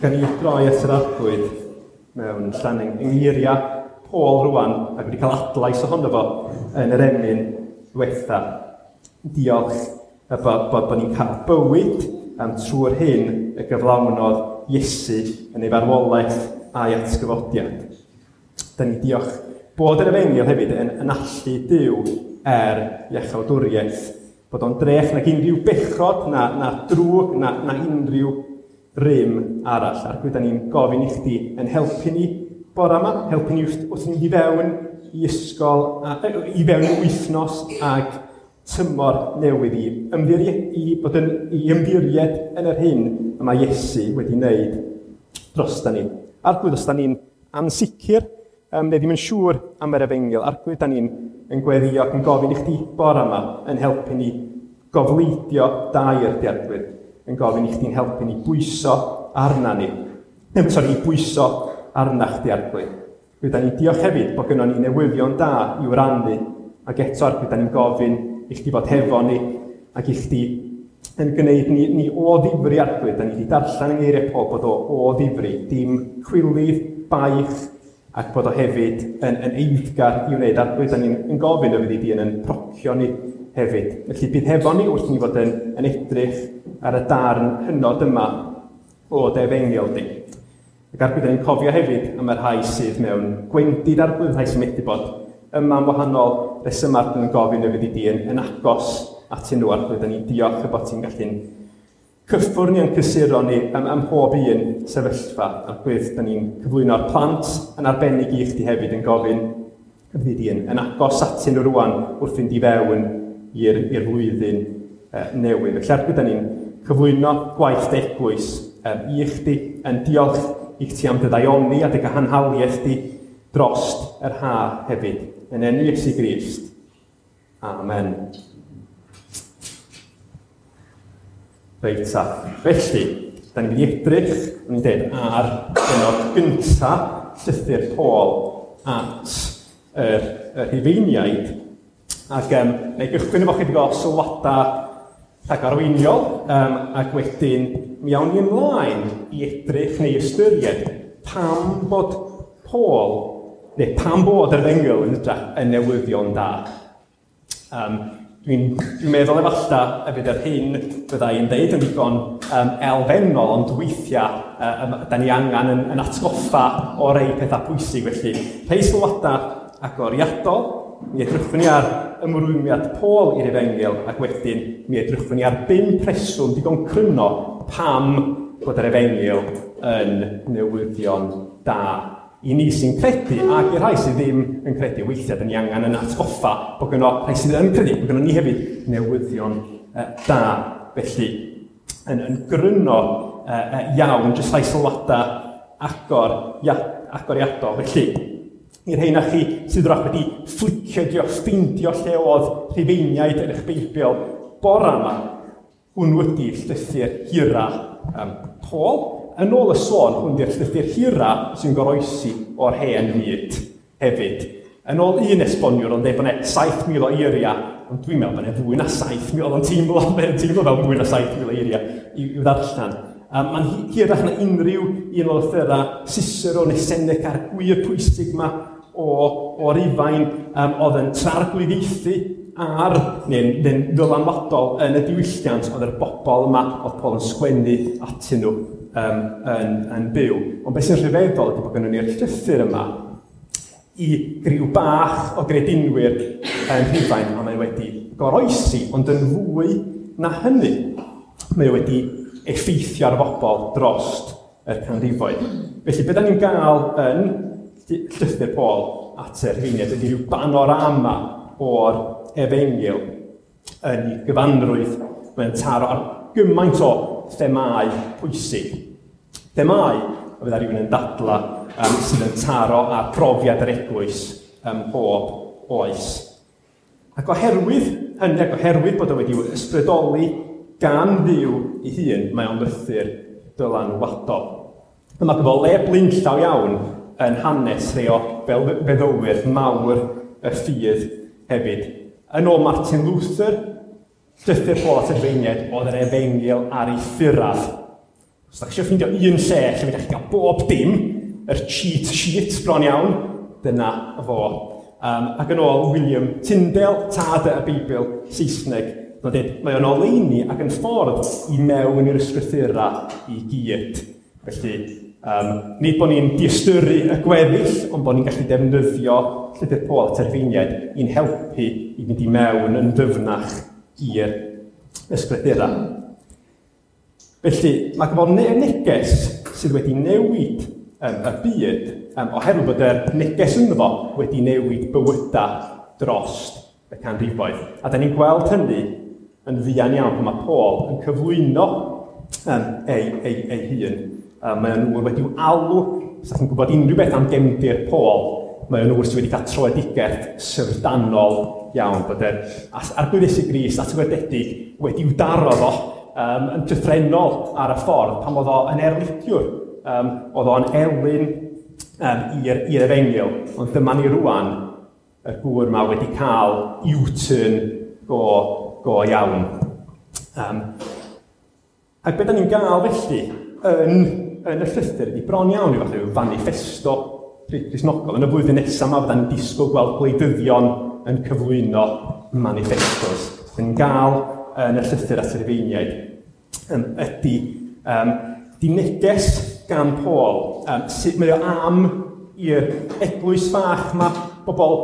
Gan ni droi at yr Arglwydd mewn llan yng ngeiriau Paul rwan, ac wedi cael adlais ohono fo yn yr emyn diwetha. Diolch y bod, bod, bod ni'n cael bywyd trwy'r hyn y gyflawnodd Iesu yn ei farwolaeth a'i atgyfodiad. Da ni diolch bod yr efengyl hefyd yn, yn allu Duw er iachawdwriaeth, bod o'n drech nag unrhyw bechod, na, na drwg, na, na unrhyw rym arall. Arglwydd, da ni'n gofyn i chdi yn helpu ni bore yma, helpu ni wrth ni i fewn i ysgol, a, i fewn i wythnos ag tymor newydd i ymddiried, i bod yn, i ymddiried yn yr hyn y mae Iesu wedi wneud dros da ni. Arglwydd, os da ni'n ansicr, neu ddim yn siŵr am yr efengyl, Arglwydd, da ni'n yn gweddio ac yn gofyn i chdi bore yma yn helpu ni gofleidio dair di Arglwydd, yn gofyn i chdi'n helpu ni bwyso arna ni. Neu, sori, i bwyso arna chdi Arglwydd. Rydyn ni'n diolch hefyd bod gynnon ni newyddion da i'w rannu, ac eto Arglwydd, da ni'n gofyn i chdi fod hefo ni, ac i chdi yn gwneud ni, ni o ddifri Arglwydd. Da ni wedi darllen yng ngeiriau Paul bod o o ddifri, dim chwilydd, baich, ac bod o hefyd yn, yn eiddgar i wneud. Arglwydd, da ni'n yn gofyn y fyddi di yn yn procio ni hefyd. Felly bydd hefo ni wrth ni fod yn, yn edrych ar y darn hynod yma o dy efengyl di. Ac Arglwydd, da ni'n cofio hefyd am y rhai sydd mewn gwendid Arglwydd, rhai sy'n methu bod yma am wahanol resymau, Arglwydd, yn gofyn y fyddi di yn, yn agos atyn nhw, Arglwydd. Da ni'n diolch y bod ti'n gallu'n cyffwrdd ni a'n cysuro ni am, am mhob un sefyllfa. Arglwydd, da ni'n cyflwyno'r plant yn arbennig i chdi hefyd yn gofyn y fyddi di yn, yn agos atyn nhw rwan wrth fynd i fewn i'r, i'r flwyddyn newydd. Felly Arglwydd, da ni'n cyflwyno gwaith dy eglwys i chdi, yn diolch i chdi am dy ddaioni a dy gahanhaliaeth di drost yr ha hefyd. Yn enw Iesu Grist. Amen. Reit ta. Felly, da ni'n mynd i edrych, o'n i'n dweud, ar bennod gynta llythyr Paul at yr, yr Rhufeiniaid. Ac na i gychwyn efo chydig o sylwadau rhagarweiniol, ac wedyn mi awn ni ymlaen i edrych neu ystyried pam bod Paul, neu pam bod yr efengyl yn hytrach yn newyddion da. Dwi'n dwi meddwl efallai y bydd yr hyn fydda i'n deud yn ddigon elfennol, ond weithiau da ni angen yn, yn atgoffa o rei pethau pwysig. Felly, rhei sylwadau agoriadol, mi edrychwn ni ar ymrwymiad Paul i'r efengyl, ac wedyn mi edrychwn ni ar 5 rheswm digon cryno pam bod yr efengyl yn newyddion da i ni sy'n credu, ac i'r rhai sydd ddim yn credu. Weithiau, da ni angen yn atgoffa bod gynno rhai sydd yn credu, bod gynno ni hefyd newyddion da. Felly, yn, yn gryno iawn, jyst rhai sylwadau agor, ia, agoriadol. Felly, i'r rheina chi sydd wrach wedi fflicio, dio, ffeindio lle oedd Rhufeiniaid yn eich Beibl bore yma, hwnnw ydy llythyr hira Paul. Yn ôl y sôn, hwn di'r llythyr hira sy'n goroesi o'r hen fyd hefyd. Yn ôl un esboniwr, ond dweud bod yna 7,000 o eiriau, ond dwi'n meddwl bod yna fwy na 7,000, oedd o'n teimlo, mae'n teimlo fel mwy na 7,000 o eiriau i'w ddarllen. Mae'n hirach na unrhyw un o lythyrau Cicero neu Seneca a'r gwir pwysig yma o, o Rufain oedd yn trarglwyddiaethu ar, neu'n neu ddylanwadol yn y diwylliant oedd yr bobl yma oedd Paul yn sgwennu atyn nhw yn, yn byw. Ond beth sy'n rhyfeddol ydy bod gynnon ni'r llythyr yma i griw bach o gredinwyr yn Rhufain, a mae wedi goroesi, ond yn fwy na hynny, mae wedi effeithio ar bobl drost y canrifoedd. Felly, beth da ni'n gael yn llythyr Paul at y Rhufeiniaid ydy rhyw banorama o'r efengyl yn ei gyfanrwydd. Mae'n taro ar gymaint o themâu pwysig. Themâu, a fydda rhywun yn dadla, sydd yn taro ar profiad yr eglwys ym mhob oes. Ac oherwydd hynny, ac oherwydd bod o wedi ysbrydoli gan Dduw ei hun, mae o'n lythyr dylanwadol. Yma gyda le blaenllaw iawn yn hanes rhai o feddylwyr mawr y ffydd hefyd. Yn ôl Martin Luther, llythyr Paul at y Rhufeiniaid oedd yr efengyl ar ei ffuraf. Os da chi eisiau ffeindio un lle lle fedrwch chi gael bob dim, yr cheat sheet bron iawn, dyna fo. Ac yn ôl William Tyndale, tad y Beibl Saesneg, mae'n dweud, mae o'n oleuni ac yn ffordd i mewn i'r ysgrythura i gyd. Felly, nid bod ni'n diystyru y gweddill, ond bod ni'n gallu defnyddio llythyr Paul at yr Rhufeiniaid i'n helpu i fynd i mewn yn ddyfnach i'r ysgrythura. Felly, mae gyfo neges sydd wedi newid y byd, oherwydd bod yr neges ynddo fo wedi newid bywydau dros y canrifoedd. A da ni'n gweld hynny yn fuan iawn pan mae Paul yn cyflwyno ei hun. Mae o'n ŵr wedi'w alw, os ydych chi'n gwybod unrhyw beth am gefndir Paul, mae o'n ŵr sydd wedi cael troedigaeth syfrdanol iawn, bod yr Arglwydd Iesu Grist atgyfodedig wedi'w daro fo yn llythrennol ar y ffordd pan oedd o yn erlidiwr, oedd o'n elyn i'r efengyl, ond dyma ni rwan, y gŵr yma wedi cael U-turn go iawn. Ac beth da ni'n gael felly yn y llythyr ydy bron iawn i fath o manifesto Cristnogol. Yn y flwyddyn nesaf yma fydda ni'n disgwyl gweld gwleidyddion yn cyflwyno manifestos. Da ni'n gael yn y llythyr at yr Rhufeiniaid ydy di neges gan Paul, sut mae o am i'r eglwys fach yma, bobl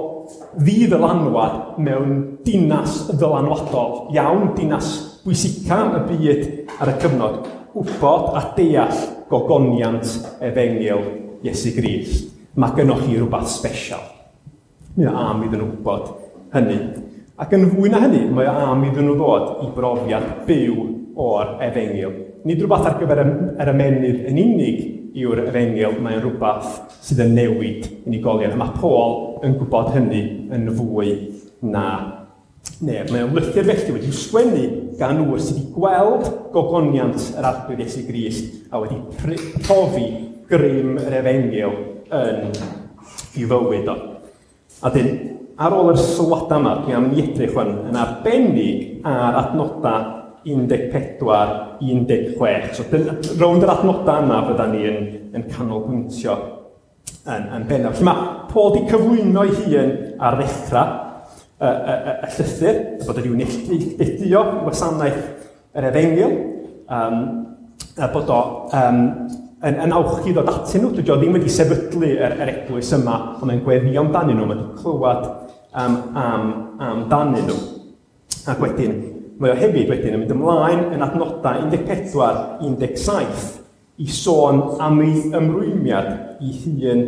ddi-ddylanwad mewn dinas ddylanwadol iawn, dinas bwysica y byd ar y cyfnod, wybod a deall gogoniant efengyl Iesu Grist. Mae gynnoch chi rhywbeth special. Mae o am iddyn nhw wybod hynny. Ac yn fwy na hynny, mae o am iddyn nhw ddod i brofiad byw o'r efengyl. Nid rhywbeth ar gyfer yr ymennydd yn unig yw'r efengyl, mae'n rhywbeth sydd yn newid unigolion. A mae Paul yn gwybod hynny yn fwy na neb. Mae o'n lythyr felly wedi'i sgwennu gan ŵr sydd wedi gweld gogoniant yr Arglwydd Iesu Grist a wedi profi grym yr efengyl yn ei fywyd o. A dyn, ar ôl yr sylwadau yma, dwi am i edrych hwn yn arbennig ar adnodau 14, 16. So, rownd yr adnodau yma fydda ni yn canolbwyntio yn bennaf. Felly mae Paul wedi cyflwyno ei hun ar ddechrau y llythyr, bod wedi neilltuo i wasanaeth yr efengyl, a bod o yn awchu ddod atyn nhw. Dydy o ddim wedi sefydlu yr eglwys yma, ond mae'n gweddio amdanyn nhw, mae wedi clywed amdanyn nhw. Ac wedyn, mae o hefyd wedyn yn mynd ymlaen yn adnodau 14, 17 i sôn am ei ymrwymiad i hun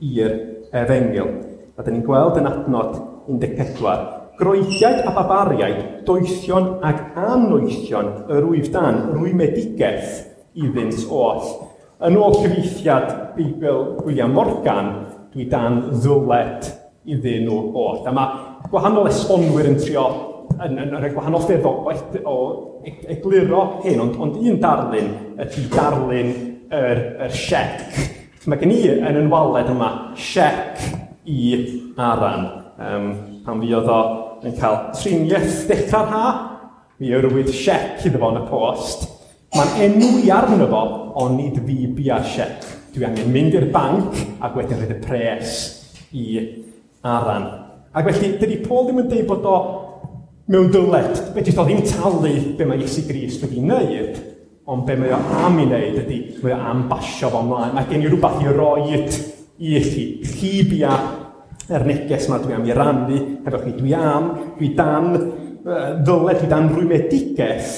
i'r efengyl. A dyn ni'n gweld yn adnod 14, Groegiaid a barbariaid, doethion ac annoethion yr wyf dan rwymedigaeth iddynt oll. Yn ôl cyfieithiad Beibl William Morgan, dwi dan ddyled iddyn nhw oll. A mae gwahanol esbonwyr yn trio yn rhoi gwahanol ffyrdd o egluro hyn, ond un darlun ydy darlun yr siec. Mae gen i yn waled yma siec i Aran. Pan fuodd o yn cael triniaeth dechrau'r ha, mi yrwyd siec iddo fo yn y post. Mae'n enw i arno fo, ond nid fi bia'r siec. Dwi angen mynd i'r banc ac wedyn rhoid y pres i Aran. Ac felly, dydy Paul ddim yn dweud bod o mewn dyled. Fedrith o ddim talu be mae Iesu Grist wedi wneud, ond be mae o am ei wneud ydy, mae o am basio fo ymlaen. Mae gen i rhywbeth i roed i chi. Chi bia yr neges yma dwi am i rannu hefo chi. Dwi dan ddyled, dwi dan rwymedigaeth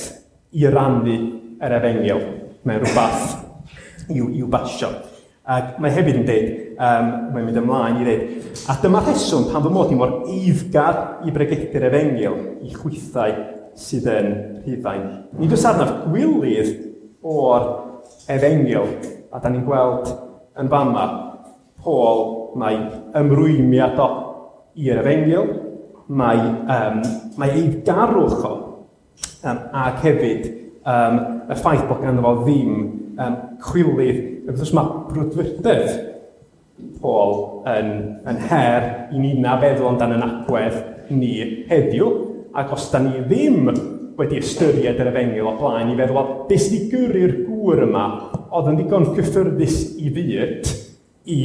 i rannu yr efengyl. Mae'n rhywbeth i'w basio. Ac mae hefyd yn dweud, mae'n mynd ymlaen i dweud, a dyma rheswm pan fy mod i mor eiddgar i bregethu'r efengyl i chwithau sydd yn Rhufain. Nid oes arnaf gwilydd o'r efengyl, a da ni'n gweld yn fama, Paul, mae ymrwymiad o i'r efengyl, mae eiddgarwch o, ac hefyd y ffaith bod ganddo fo ddim chwilydd. Wrth gwrs mae brwdfrydedd Paul yn her i ni na feddwl amdan yn agwedd ni heddiw, ac os da ni ddim wedi ystyried yr efengyl o blaen i feddwl, beth sydd wedi gyrru'r gŵr gŵr yma oedd yn ddigon cyffyrddus i fyd i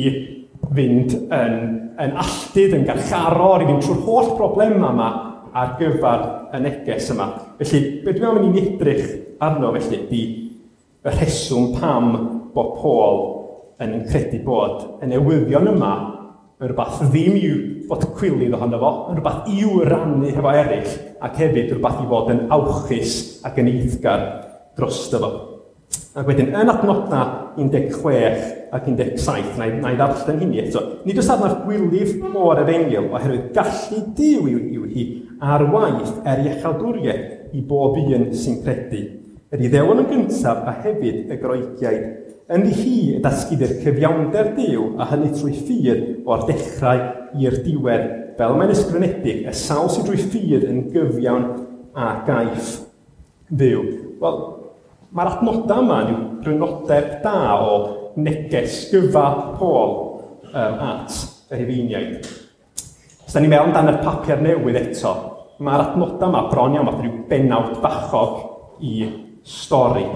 fynd yn alltud, yn garcharor, i fynd trwy'r holl broblemau yma ar gyfer y neges yma. Felly, be dwi'n am i ni'n edrych arno felly ydy y rheswm pam bod Paul yn credu bod y newyddion yma yn rhywbeth ddim i'w fod cwilydd ohono fo, yn rhywbeth i'w rannu hefo eraill, ac hefyd rhywbeth i fod yn awchus ac yn eiddgar drosto fo. Ac wedyn, yn adnodau 16 ac 17, na i ddarllen hynny eto, nid oes arnaf gwilydd o'r efengyl oherwydd gallu Duw yw hi ar waith er iechawdwriaeth i bob un sy'n credu. Yr Iddewon yn gyntaf a hefyd y Groegiaid. Ynddi hi y datguddir cyfiawnder Duw a hynny trwy ffydd o'r dechrau i'r diwedd, fel mae'n ysgrifenedig, y sawl sydd drwy ffydd yn gyfiawn a gaiff fyw. Wel, mae'r adnodau yma yn grynodeb da o neges gyfa Paul at y Rhufeiniaid. Os da ni'n meddwl amdan y papur newydd eto, mae'r adnodau yma bron iawn fath rhyw bennawd bachog i stori.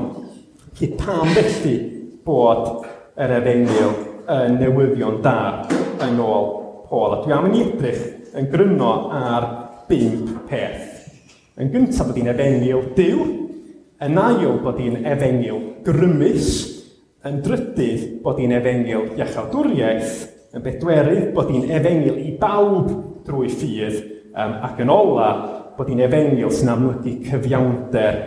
Felly pam felly bod yr efengyl yn newyddion da yn ôl Paul? A dwi am i ni edrych yn gryno ar 5 peth. Yn gyntaf bod hi'n efengyl Duw, yn ail bod hi'n efengyl grymus, yn drydydd bod hi'n efengyl iachawdwriaeth, yn bedwerydd bod hi'n efengyl i bawb drwy ffydd, ac yn ola bod hi'n efengyl sy'n amlygu cyfiawnder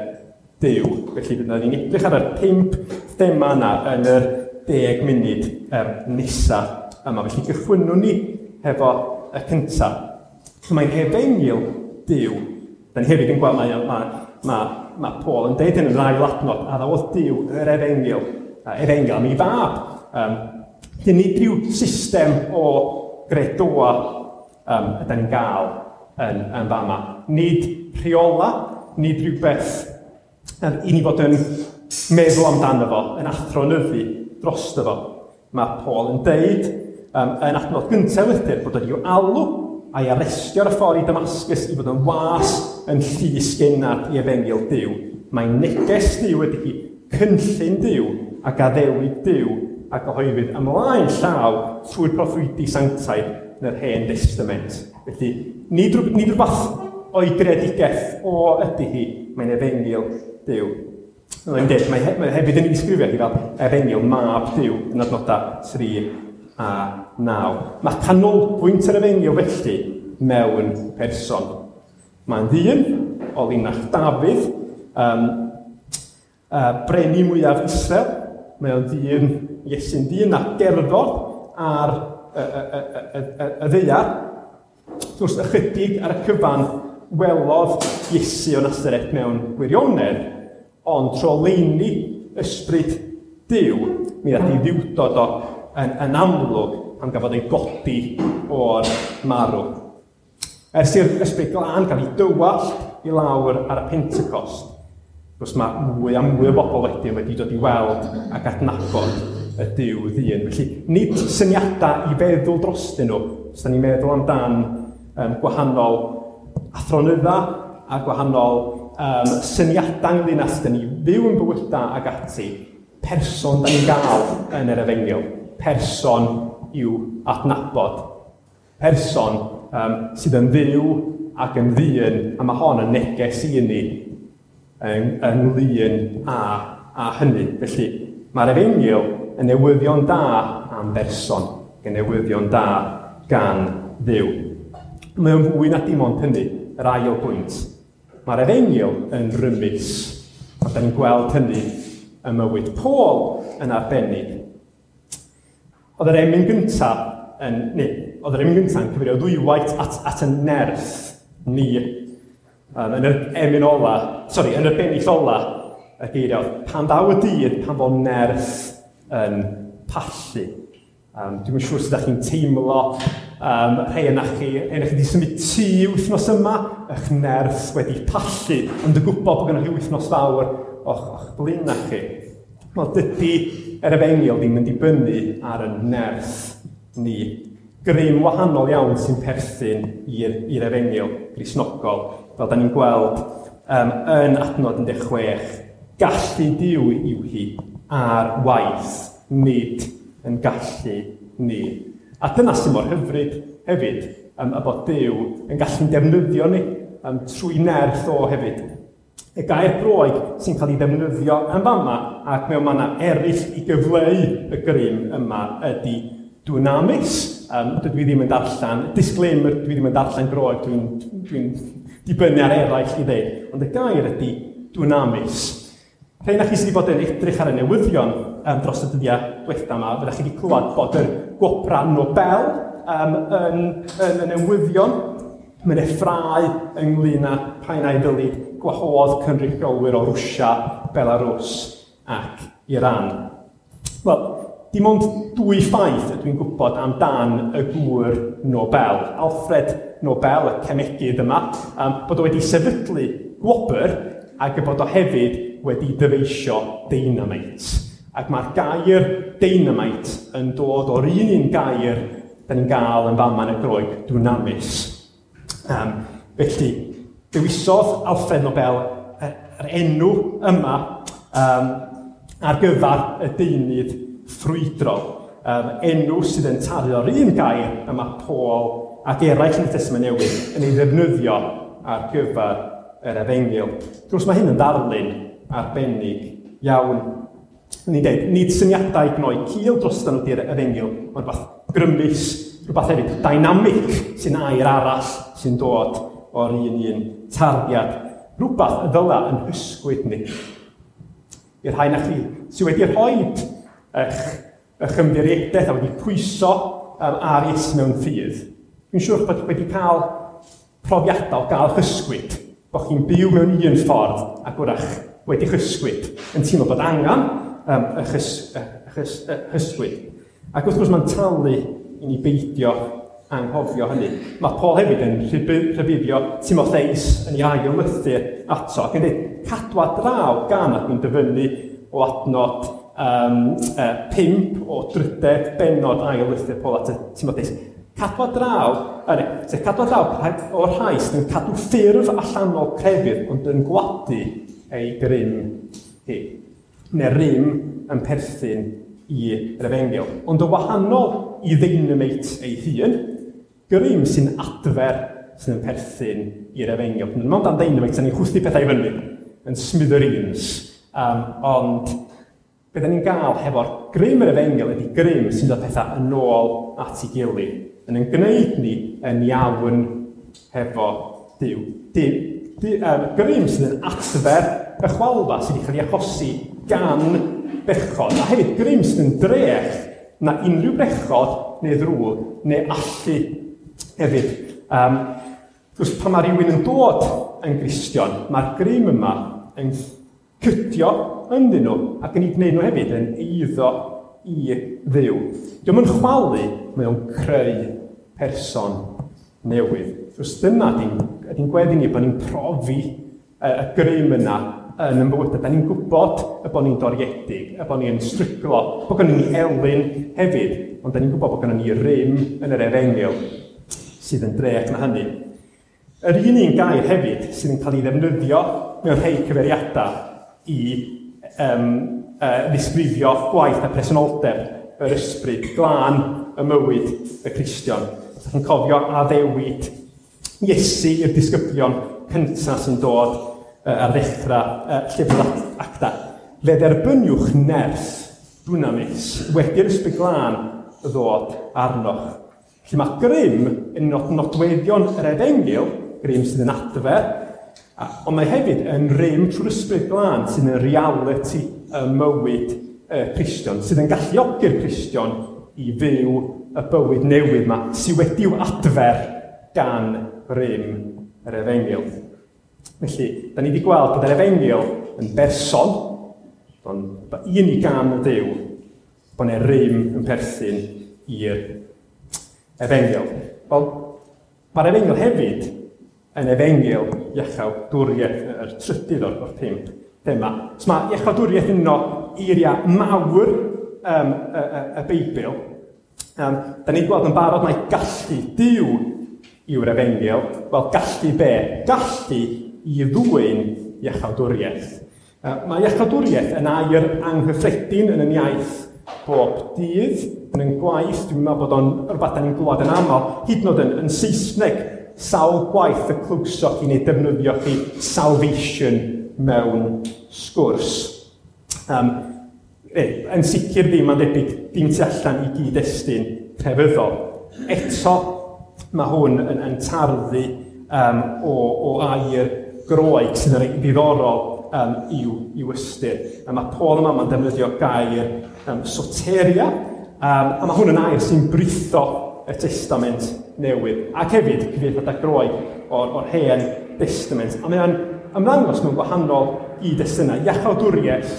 Duw. Felly byddwn ni'n edrych ar y 5 thema yna yn yr 10 munud nesaf yma. Felly gychwynnwn ni hefo y cyntaf. So mae'n efengyl Duw. Da ni hefyd yn gweld mae Paul yn deud yn yr ail adnod, a ddawodd Duw yr efengyl, efengyl am ei fab. Nid rhyw system o gredoa ydan ni'n gael yn fama. Nid rheola, nid rhywbeth i ni fod yn meddwl amdano fo, yn athronyddu drosto fo. Mae Paul yn deud yn adnod gyntaf lythyr bod wedi alw a'i arestio ar y ffordd i Damascus i fod yn was yn llys gennad i efengyl Duw. Mae neges Duw ydy hi, cynllun Duw ac addewid Duw a gyhoeddwyd ymlaen llaw trwy'r proffwydi sanctaidd yn yr Hen Destament. Felly, nid rhywbeth o'i greadigaeth o ydy hi, mae'n efengyl Duw. Mae'n dweud, mae hefyd yn ei ddisgrifio hi fel efengyl mab Duw yn adnodau 3 a 9. Mae canolbwynt yr efengyl felly mewn person. Mae'n ddyn o linach Dafydd, brenin mwyaf Israel. Mae o'n ddyn, Iesu'n ddyn a gerddodd ar y ddaear. Wrth gwrs, ychydig ar y cyfan welodd Iesu o Nasaret mewn gwirionedd, ond tro leini ysbryd Duw, mi ddaeth ei ddiwdod o yn amlwg pan gafodd ei godi o'r marw. Ers i'r ysbryd glân gael ei dywallt i lawr ar y Pentecost, wrth mae mwy a mwy o bobl wedyn wedi dod i weld ac adnabod y Duw ddyn. Felly, nid syniadau i feddwl drostyn nhw, os da ni'n meddwl amdan gwahanol athronydda a gwahanol syniadau ynglyn â sut da ni fyw yn bywydau ac ati, person da ni'n gael yn yr efengyl, person i'w adnabod, person sydd yn fyw ac yn ddyn, a mae hon yn neges i ni ynglyn â hynny. Felly, mae'r efengyl yn newyddion da am berson, yn newyddion da gan Dduw. Mae o'n fwy na dim ond hynny, yr ail bwynt. Mae'r efengyl yn rymus, a da ni'n gweld hynny ym mywyd Paul yn arbennig. Oedd yr emyn gyntaf yn cyfeirio ddwywaith at y nerth ni. Yn yr emyn ola, yn y bennill ola, y geiriau, pan ddaw y dydd, pan fo nerth yn pallu. Dwi'm yn siŵr sut ydych chi'n teimlo, rhai yna chi wedi symud tŷ wythnos yma, eich nerth wedi pallu, ond yn gwybod bod gennych chi wythnos fawr o'ch blaenau chi. Wel, dydy yr efengyl ddim yn dibynnu ar y nerth ni. Grym wahanol iawn sy'n perthyn i'r efengyl Gristnogol, fel da ni'n gweld yn adnod 16, gallu Duw yw hi. ar waith, nid yn gallu ni. A dyna sy'n mor hyfryd hefyd, y bod Duw yn gallu'n defnyddio ni trwy nerth o hefyd. Y gair Groeg sy'n cael ei ddefnyddio yn fama ac mewn mannau eraill i gyfleu y grym yma ydy dunamis. Dydw i ddim yn darllen, disclaimer, dwi ddim yn darllen Groeg, dwi'n dibynnu ar eraill i ddeud. Ond y gair ydy dunamis. Rhai na chi sydd wedi bod yn edrych ar y newyddion dros y dyddiau diwetha yma, fyddech chi wedi clywed bod yr gwobra Nobel yn y newyddion. Mae'n effrau ynglyn â pa un ai ddylid gwahodd cynrychiolwyr o Rwsia, Belarus ac Iran. Wel, dim ond dwy ffaith ydw i'n gwybod amdan y gŵr Nobel. Alfred Nobel, y cemegydd yma, bod o wedi sefydlu gwobr ac y bod o hefyd wedi dyfeisio deinameit. Ac mae'r gair deinameit yn dod o'r un gair da ni'n gael yn fama yn y Groeg, dunamis. Felly, dewisodd Alfred Nobel yr enw yma ar gyfer y deunydd ffrwydrol. Enw sydd yn taru o'r un gair y mae Paul ac eraill yn y Testament Newydd yn ei ddefnyddio ar gyfer yr efengyl. Wrth gwrs, mae hyn yn ddarlun arbennig iawn. Ni'n dweud, nid syniadau gnoi cil drosto nhw di'r efengyl, mae'n rhywbeth grymus, rhywbeth hefyd dynamic sy'n air arall sy'n dod o'r un tarddiad. Rhywbeth y ddyla yn hysgwyd ni. I'r rhai na chi sydd wedi rhoi eich ymddiriedaeth a wedi pwyso ar Iesu mewn ffydd, dwi'n siŵr bod wedi cael profiadau o gael hysgwyd, bod chi'n byw mewn un ffordd ac wrach wedi hysgwyd, yn teimlo bod angen hysgwyd. Ac wrth gwrs mae'n talu i ni beidio anghofio hynny. Mae Paul hefyd yn rhybuddio Timotheus yn ei ail lythyr ato ac yn dweud, cadwa draw gan, ac dwi'n dyfynnu o adnod 5 o drydedd bennod ail lythyr Paul at Timotheus. Cadwa draw, cadwa draw o'r rhai sydd yn cadw ffurf allanol crefydd ond yn gwadu ei grym hi. Neu rym yn perthyn i'r efengyl. Ond o wahanol i ddeinameit ei hun, grym sy'n adfer sydd yn perthyn i'r efengyl. Mae'n dan ddeinameit, ni'n chwythu pethau i fyny, yn smithereens. Ond be da ni'n gael hefo'r grym yr efengyl ydy grym sy'n dod pethau yn ôl at ei gilydd, yn ein gwneud ni yn iawn hefo Duw. Grym sydd yn adfer y chwalfa sydd wedi cael ei achosi gan bechod, a hefyd grym sydd yn drech na unrhyw bechod neu ddrwg neu allu hefyd. Wrth pan mae rhywun yn dod yn Gristion, mae'r grym yma yn cydio ynddyn nhw ac yn ei gwneud nhw hefyd yn eiddo i Dduw. Dio'm yn chwalu, mae o'n creu person newydd. Wrth dyna ydy'n gweddi ni bod ni'n profi y grym yna yn ein bywydau. Da ni'n gwybod y bod ni'n doriedig, y bod ni'n stryglo, bod gynnon ni elyn hefyd, ond da ni'n gwybod bod gynnon ni rym yn yr efengyl sydd yn drech na hynny. Yr un gair hefyd sydd yn cael ei ddefnyddio mewn rhai cyfeiriadau i ddisgrifio gwaith a presenoldeb yr ysbryd glân y mywyd y Cristion. Os ydych chi'n cofio addewid Iesu i'r disgyblion cyntaf sy'n dod ar ddechrau llyfr Acta. Fe dderbyniwch nerth dunamis wedi'r ysbryd glân ddod arnoch. Felly mae grym yn nodweddion yr efengyl, grym sydd yn adfer, ond mae hefyd yn rym trwy'r ysbryd glân sydd yn reality y mywyd y Cristion, sydd yn galluogi'r Cristion i fyw y bywyd newydd yma, sydd wedi'w adfer gan rym yr efengyl. Felly, da ni wedi gweld bod yr efengyl yn berson, ond un i gan Dduw, bod yna rym yn perthyn i'r efengyl. Wel, mae'r efengyl hefyd yn efengyl iachawdwriaeth, yr trydydd o'r 5 thema. So mae iachawdwriaeth yn un o eiriau mawr y Beibl. Da ni'n gweld yn barod mae gallu Duw yw'r efengyl. Wel, gallu be? Gallu i ddwyn iachawdwriaeth. Mae iachawdwriaeth yn air anghyffredin yn yn iaith bob dydd, yn yn gwaith, dwi'n meddwl bod o'n rhywbeth da ni'n glywed yn aml, hyd yn oed yn Saesneg, sawl gwaith y clywsoch chi neu defnyddio chi salvation mewn sgwrs. Yn sicr ddim, mae'n debyg, dim tu allan i gyd-destun crefyddol. Eto, mae hwn yn tarddu o air Groeg sydd yn reit ddiddorol i'w ystyr. A mae Paul yma mae'n defnyddio gair soteria, a mae hwn yn air sy'n britho y Testament Newydd, ac hefyd cyfieithiadau Groeg o'r Hen Testament. A mae'n ymddangos mewn gwahanol gyd-destunau. Iachawdwriaeth,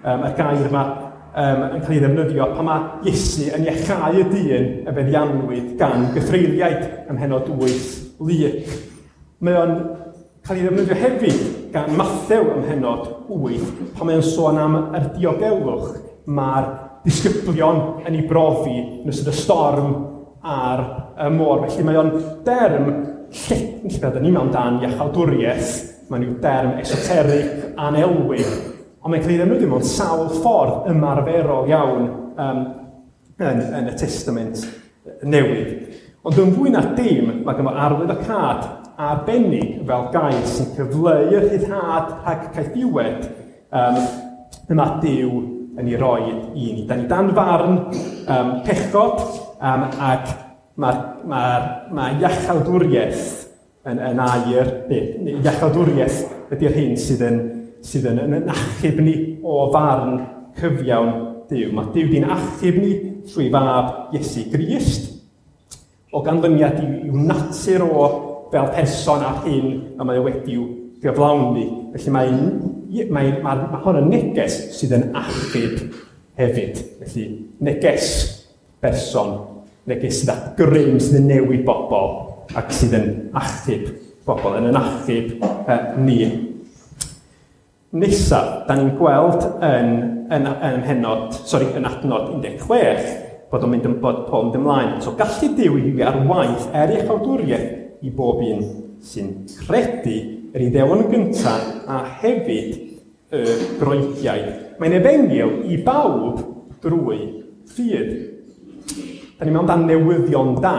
y gair yma yn cael ei ddefnyddio pan mae Iesu yn iachau y dyn y feddianwyd gan gythreuliaid ym mhennod 8 Luc. Mae o'n cael ei ddefnyddio hefyd gan Mathew ym mhennod 8, pan mae o'n sôn am yr diogelwch mae'r disgyblion yn ei brofi yn ystod y storm ar y môr. Felly mae o'n derm, lle ydyn ni mewn dan iachawdwriaeth, mae'n yw derm esoterig, anelwig, ond mae'n cael ei ddefnyddio mewn sawl ffordd ymarferol iawn yn y Testament Newydd. Ond yn fwy na dim, mae ganddo arwyddocâd arbennig fel gair sy'n cyfleu y rhyddhad rhag caethiwed y mae Duw yn ei roi i ni. Da ni dan farn pechod, ac mae iachawdwriaeth yn air, iachawdwriaeth ydy'r hyn sydd yn achub ni o farn cyfiawn Duw. Mae Duw di'n achub ni trwy fab Iesu Grist, o ganlyniad i'w natur o fel person a'r hyn y mae o wedi'w gyflawni. Felly mae hon yn neges sydd yn achub hefyd. Felly neges person, neges sydd â grym sydd yn newid bobl ac sydd yn achub bobl, yn achub ni. Nesaf, da ni'n gweld yn adnod 16, bod o'n mynd yn bod Paul yn ymlaen. So gallu Duw i ar waith er iachawdwriaeth i bob un sy'n credu yr Iddewon yn gyntaf a hefyd y Groegiaid. Mae'n efengyl i bawb drwy ffydd. Da ni'n mewn dan newyddion da.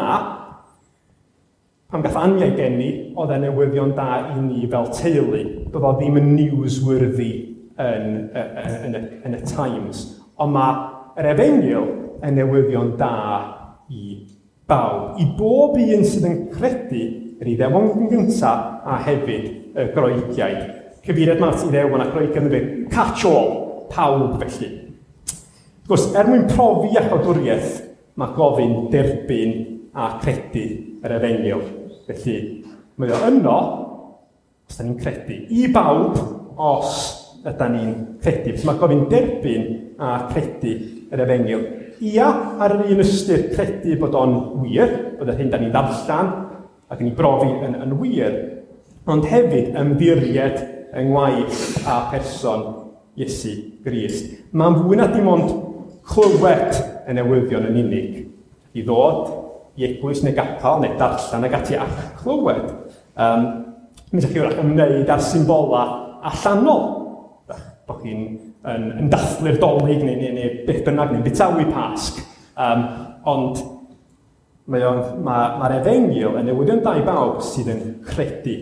Pan gath Anya ei geni, oedd e newyddion da i ni fel teulu. Doedd o ddim yn newsworthy yn y Times. Ond mae yr efengyl yn newyddion da i bawb. I bob un sydd yn credu yr Iddewon yn gyntaf a hefyd y Groegiaid. Cyfeiriad ma at Iddewon a Groegiaid yn dweud, catch all, pawb felly. Wrth gwrs, er mwyn profi iachawdwriaeth, mae gofyn derbyn a credu yr efengyl. Felly, mae o yno, os da ni'n credu, i bawb os yda ni'n credu. Felly mae gofyn derbyn a credu yr efengyl. Ia, ar yr un ystyr credu bod o'n wir, bod yr hyn da ni'n ddarllen ac yn ei brofi yn wir, ond hefyd ymddiried yng ngwaith a person Iesu Grist. Mae'n fwy na dim ond clywed y newyddion yn unig, i ddod i eglwys neu gapel neu darllen ag ati a clywed. Mi ydych chi wrach ymwneud â'r symbola allanol, bod chi'n yn dathlu'r Dolig neu beth bynnag, neu'n bitawi Pasg. Ond mae'r efengyl yn newyddion da i bawb sydd yn credu.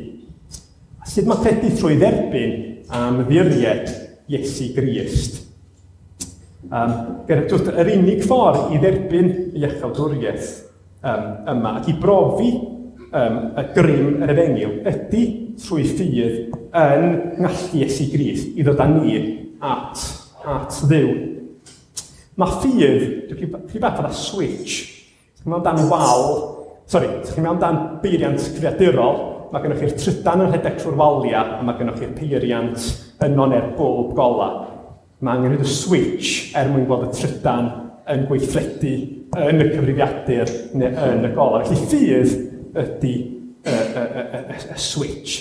A sut mae credu trwy dderbyn am ddiried Iesu Grist? Yr unig ffordd i dderbyn iachawdwriaeth yma ac i brofi y grym yr efengyl ydy trwy ffydd yn ngallu Iesu Grist i ddod â ni at Dduw. Mae ffydd, dwi'n chydig bach fatha switch. Ti'n mewn dan wal, sorry, ti'n mewn dan beiriant cyfrifiadurol, mae gennych chi'r trydan yn rhedeg trwy'r waliau a mae gennych chi'r peiriant yno neu'r bwlb gola. Mae angen rhoi y switch er mwyn gweld y trydan yn gweithredu yn y cyfrifiadur neu yn y gola. Felly ffydd ydy y switch.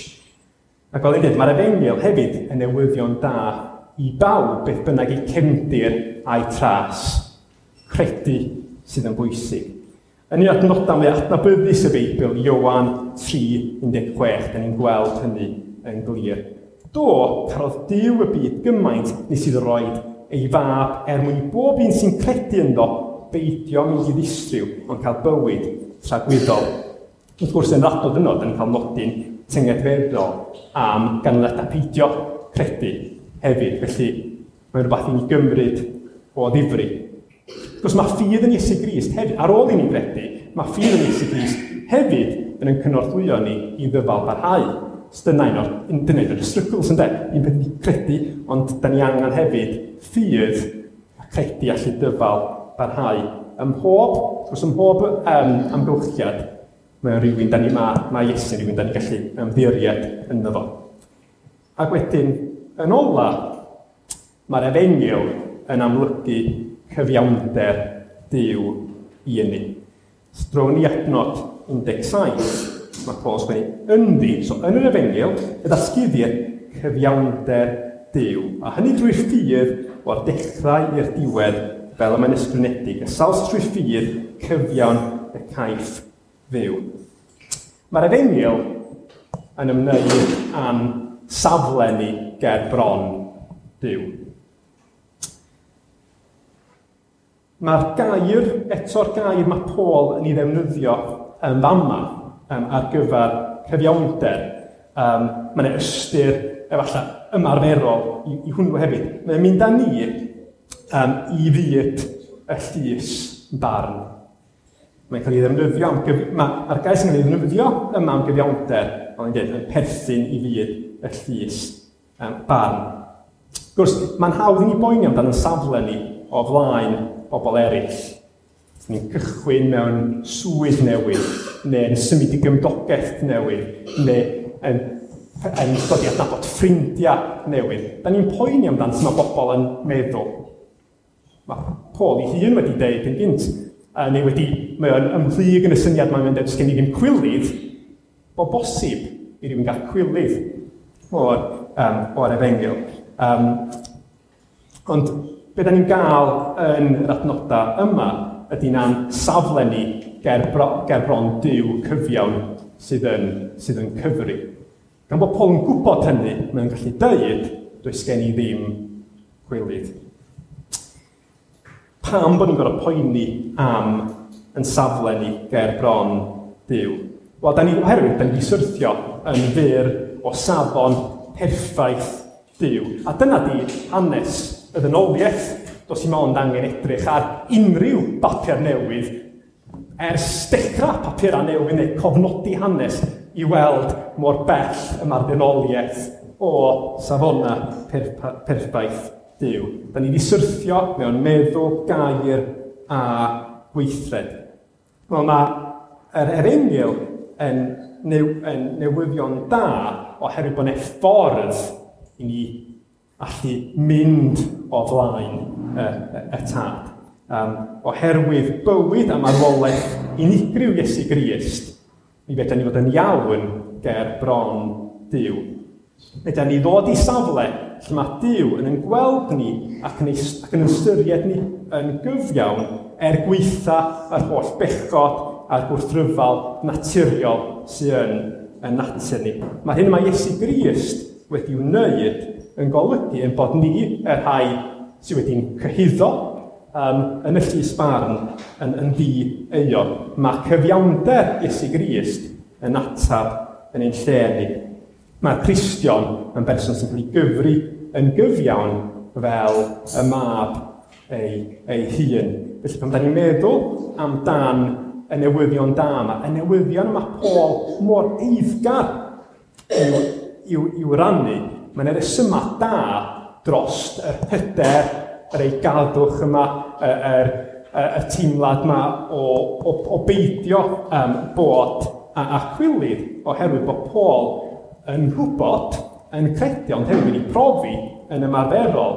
Ac fel i'n dweud, mae'r efengyl hefyd yn newyddion da i bawb beth bynnag eu cefndir a'i tras. Credu sydd yn bwysig. Yn un adnodau mwy adnabyddus y Beibl, Ioan 3:16, da ni'n gweld hynny yn glir. Do, carodd Duw y byd gymaint nes iddo roed ei fab er mwyn i bob un sy'n credu ynddo beidio mynd i ddistryw, ond cael bywyd tragwyddol. Wrth gwrs, yn yr adnod yno, da ni'n cael nodyn tyngedfeddol am ganlyniadau peidio credu hefyd. Felly, mae'n rhywbeth i ni gymryd o ddifri. Wrth gwrs, mae ffydd yn Iesu Grist hefyd, ar ôl i ni gredu, mae ffydd yn Iesu Grist hefyd yn ein cynorthwyo ni i ddyfal barhau. So dyna un o'r, dyna un o'r struggles, ynde? Un peth ydi credu, ond da ni angen hefyd ffydd a credu allu dyfal barhau. Ym mhob, wrth gwrs, ym mhob amgylchiad, mae o'n rhywun da ni, mae, mae Iesu yn rhywun da ni gallu ymddiried ynddo fo. Ac wedyn, yn ola, mae'r efengyl yn amlygu cyfiawnder Duw i ni. Drown ni adnod 17, mae Paul yn sgwennu ynddi, so yn yr efengyl, y ddatguddir cyfiawnder Duw, a hynny drwy'r ffydd o'r dechrau i'r diwedd, fel y mae'n ysgrifenedig, y sawl sydd trwy ffydd cyfiawn y caiff fyw. Mae'r efengyl yn ymwneud â'n safle ni ger bron Duw. Mae'r gair, eto'r gair mae Paul yn ei ddefnyddio yn fama ar gyfer cyfiawnder, mae yna ystyr efallai ymarferol i hwnnw hefyd. Mae'n mynd â ni i fyd y llys barn. Mae'n cael ei ddefnyddio am gyf-, mae'r gair sy'n cael ei ddefnyddio yma am gyfiawnder, ond yn dweud, yn perthyn i fyd y llys barn. Wrth gwrs, mae'n hawdd i ni boeni amdano yn safle ni o flaen bobl eraill. Ni'n cychwyn mewn swydd newydd, neu yn symud i gymdogaeth newydd, neu yn dod i adnabod ffrindiau newydd. Da ni'n poeni amdano sut mae bobl yn meddwl. Mae Paul ei hun wedi deud yn gynt, neu wedi, mae o'n ymhlyg yn y syniad mae'n dweud, sgen i ddim cwilydd, bod bosib i rywun gael cwilydd o'r efengyl. Ond be da ni'n gael yn yr adnodau yma ydy na'n safle ni ger bron Duw cyfiawn sydd yn cyfri. Gan bod Paul yn gwybod hynny, mae'n gallu dweud, does gen i ddim cwilydd. Pam bod ni'n gorfod poeni am yn safle ni ger bron Duw? Wel, da ni, oherwydd, da ni wedi syrthio yn fyr o safon perffaith Duw. A dyna di hanes y ddynoliaeth. Does dim ond angen edrych ar unrhyw bapur newydd ers dechrau papurau newydd neu cofnodi hanes i weld mor bell y mae'r ddynoliaeth o safonau perffaith Duw. Da ni wedi syrthio mewn meddwl, gair a gweithred. Wel, mae yr efengyl yn newyddion da oherwydd bod yna ffordd i ni allu mynd o flaen y tad. Oherwydd bywyd a marwolaeth unigryw Iesu Grist, mi fedra ni fod yn iawn ger bron Duw. Fedra ni ddod i safle lle mae Duw yn ein gweld ni ac yn ystyried ni yn gyfiawn er gweitha yr holl bechod a'r gwrthryfal naturiol sydd yn natur ni. Mae'r hyn mae Iesu Grist wedi wneud yn golygu ein bod ni, y rhai sydd wedi'n cyhuddo yn y llys barn yn ddi-euog. Mae cyfiawnder Iesu Grist yn atab yn ein lle ni. Mae'r Cristion yn berson sy'n cael ei gyfri yn gyfiawn fel y mab ei hun. Felly pan da ni'n meddwl amdan y newyddion da yma, y newyddion yma Paul mor eiddgar i'w rannu, mae'n resymau da dros yr hyder, yr eigadwch yma, y teimlad yma o beidio bod a chwilydd, oherwydd bod Paul yn gwybod, yn credu, ond hefyd wedi profi yn ymarferol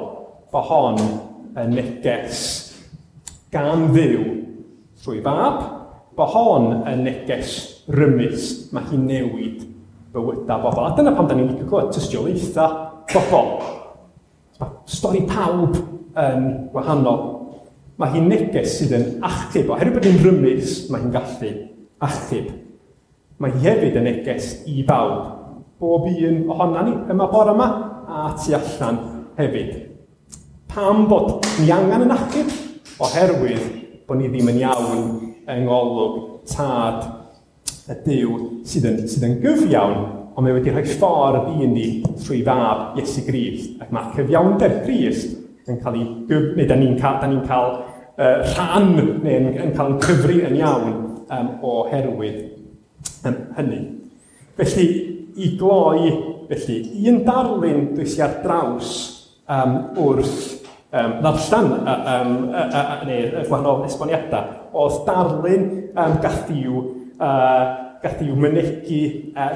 bod hon yn neges gan Dduw trwy fab, bod hon yn neges rymus, mae hi'n newid bywydau bobl. A dyna pam da ni'n licio clywed tystiolaethau bobl. Mae stori pawb yn wahanol. Mae hi'n neges sydd yn achub. Oherwydd bod hi'n rymus, mae hi'n gallu achub. Mae hi hefyd yn neges i bawb. Bob un ohona ni yma bore yma a tu allan hefyd. Pam bod ni angen yn achub? Oherwydd bod ni ddim yn iawn yng ngolwg Tad y Duw sydd yn gyfiawn, ond mae wedi rhoi ffordd i ni trwy fab Iesu Grist. Ac mae cyfiawnder Crist yn cael ei neu da ni'n cael, da ni'n cael rhan, neu yn cael yn cyfri yn iawn oherwydd hynny. Felly, i gloi, felly, un darlun dwi ar draws wrth ddarllen neu gwahanol esboniadau, oedd darlun gath i'w mynegi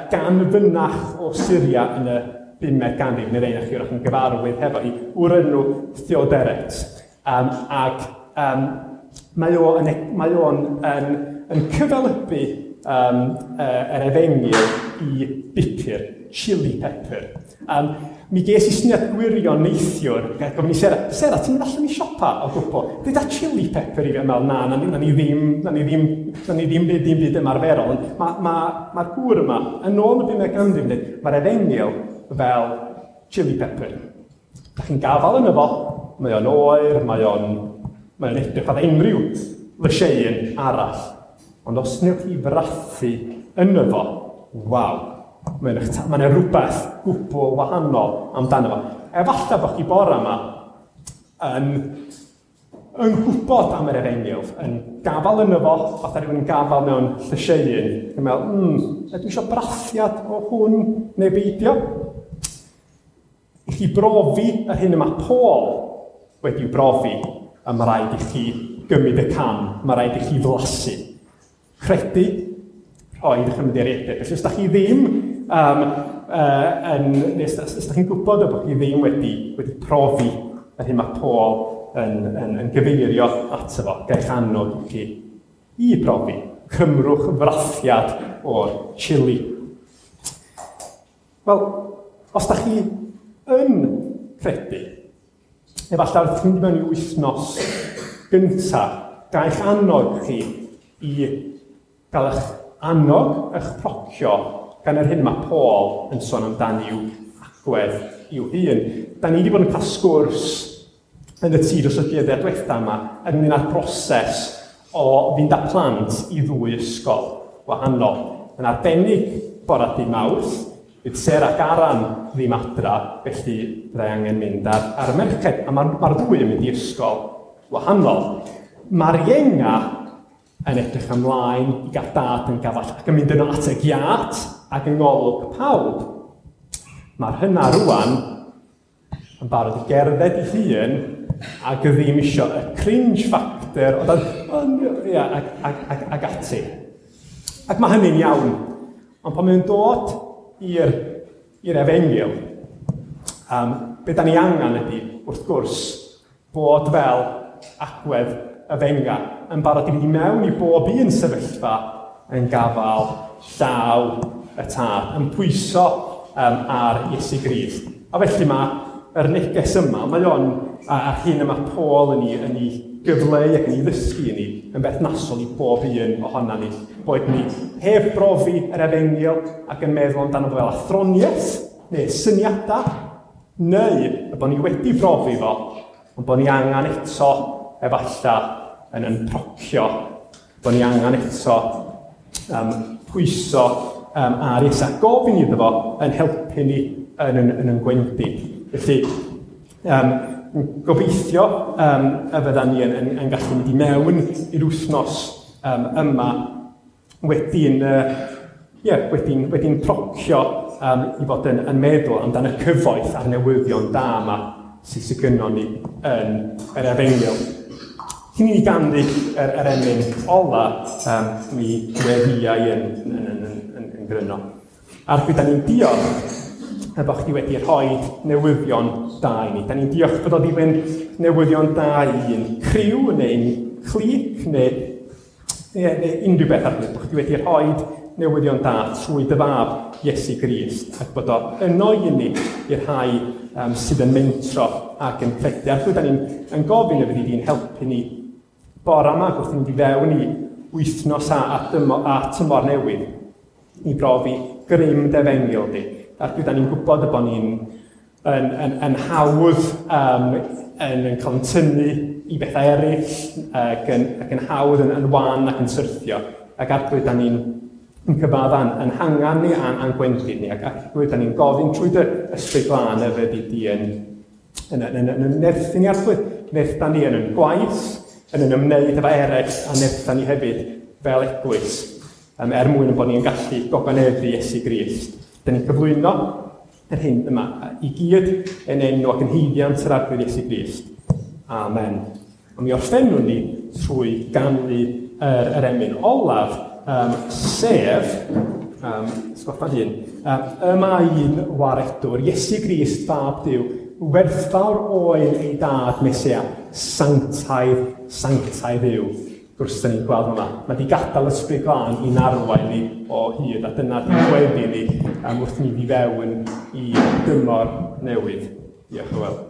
gan fynach o Syria yn y 5fed ganrif, neu rei chi wrach yn gyfarwydd hefo hi, o'r enw Theoderet. Ac mae o'n cyfelybu yr efengyl i bupur, chili pepper. Mi ges i syniad gwirion neithiwr, gofyn i Sarah, Sarah, ti'n mynd allan i siopa o gwbl? Deuda chili pepper i fi, meddwl, na, na ni ddim byd ymarferol. Mae'r gŵr yma, yn ôl y 5fed ganrif, mae'r efengyl fel chili pepper. Da chi'n gafael yno fo, mae o'n oer, mae o'n edrych fatha unrhyw lysieuyn arall. Ond os wnewch chi frathu yno fo, waw, mae'n yna rhywbeth gwbl wahanol amdano fo. Efallai bod chi bore yma yn gwybod am yr efengyl, yn gafael yno fo, fatha rhywun yn gafael mewn llysieuyn, yn meddwl, ydw i eisiau brathiad o hwn neu beidio? I chi brofi yr hyn y mae Paul wedi'w brofi, a mae rhaid i chi gymryd y cam, mae rhaid i chi flasu. Credu, rhoi eich ymddiriedau. Felly os da chi ddim, os da chi'n gwybod bod chi ddim wedi profi yr hyn mae Paul yn gyfeirio ato fo, gael annog i chi i brofi. Cymrwch frathiad o'r chili. Wel, os da chi yn credu, efallai wrth chi mynd i mewn i wythnos gyntaf, gael annog chi i gael eich annog, eich procio gan yr hyn mae Paul yn sôn amdani i'w agwedd i'w hun. Da ni wedi bod yn cael sgwrs yn y tŷ dros y dyddiau diwetha yma ynglyn â'r broses o fynd â plant i ddwy ysgol wahanol. Yn arbennig bore dydd Mawrth, bydd Sarah ac Aran ddim adra, felly byddai angen mynd ar y merched, a mae'r ddwy yn mynd i ysgol wahanol. Mae'r ienga yn edrych ymlaen i gael dad yn gafall ac yn mynd yno at y giat ac yng ngolwg pawb. Mae'r hynna rwan yn barod i gerdded ei hun ac ddim isio y cringe factor o dan, ac ati. Ac mae hynny'n iawn. Ond pan mae'n dod i'r efengyl, be da ni angen ydy, wrth gwrs, bod fel agwedd y fenga yn barod i fynd i mewn i bob un sefyllfa yn gafael llaw y tad, yn pwyso ar Iesu Grist. A felly mae yr neges yma, mae o'n, a'r hyn yma Paul yn ei gyfleu ac yn ei ddysgu i ni, yn berthnasol i bob un ohona ni. Boed ni heb brofi yr efengyl ac yn meddwl amdano fel athroniaeth neu syniadau, neu y bod ni wedi profi fo, ond bod ni angen eto efallai yn procio, bod ni angen eto pwyso ar Iesu a gofyn iddo fo yn helpu ni yn gwendid. Felly, gobeithio y fyddan ni yn gallu mynd i mewn i'r wythnos yma wedi'n procio i fod yn meddwl amdan y cyfoeth a'r newyddion da yma sydd gynnon ni yn yr efengyl. Cyn i ni ganu yr emyn ola, mi weddïau yn gryno. Arglwydd, da ni'n diolch bod chdi wedi rhoi newyddion da i ni. Da ni'n diolch bod o ddim yn newyddion da i un criw neu'n clic neu unrhyw beth arall. Bod chdi wedi rhoi newyddion da trwy dy fab Iesu Grist ac bod o yno i ni i'r rhai sydd yn mentro ac yn credu. Arglwydd, da ni'n gofyn y fyddi di'n helpu ni bore yma wrth i ni fewn i wythnos a tymor newydd i brofi grym dy efengyl di. Arglwydd, da ni'n gwybod y bod ni'n yn, yn, yn hawdd yn cael yn tynnu i bethau eraill ac yn hawdd yn wan ac yn syrthio. Ac Arglwydd, da ni'n yn cyfadda'n yn hangan ni a'n gwendid ni. Ac Arglwydd, da ni'n gofyn trwy dy Ysbryd Glân y fyddi di yn nerthu ni, Arglwydd. Nertha ni yn gwaith, yn ymwneud efo eraill, a nertha ni hefyd fel eglwys, er mwyn bod ni'n gallu gogoneddu Iesu Grist. Da ni'n cyflwyno yr hyn yma i gyd yn enw ac yn haeddiant yr Arglwydd Iesu Grist. Amen. A mi orffennwn ni trwy ganu yr emyn olaf, sef, sgoffa hun, y mae un waredwr, Iesu Grist, Fab Duw, werthfawr oen ei dad Mesia, sanctaidd, sanctaidd yw. Gwrs, da ni'n gweld yma, mae di gadael Ysbryd Glân i'n arwain ni o hyd, a dyna di'n gweddi ni wrth ni fi fewn i dymor newydd. Diolch yn fawr.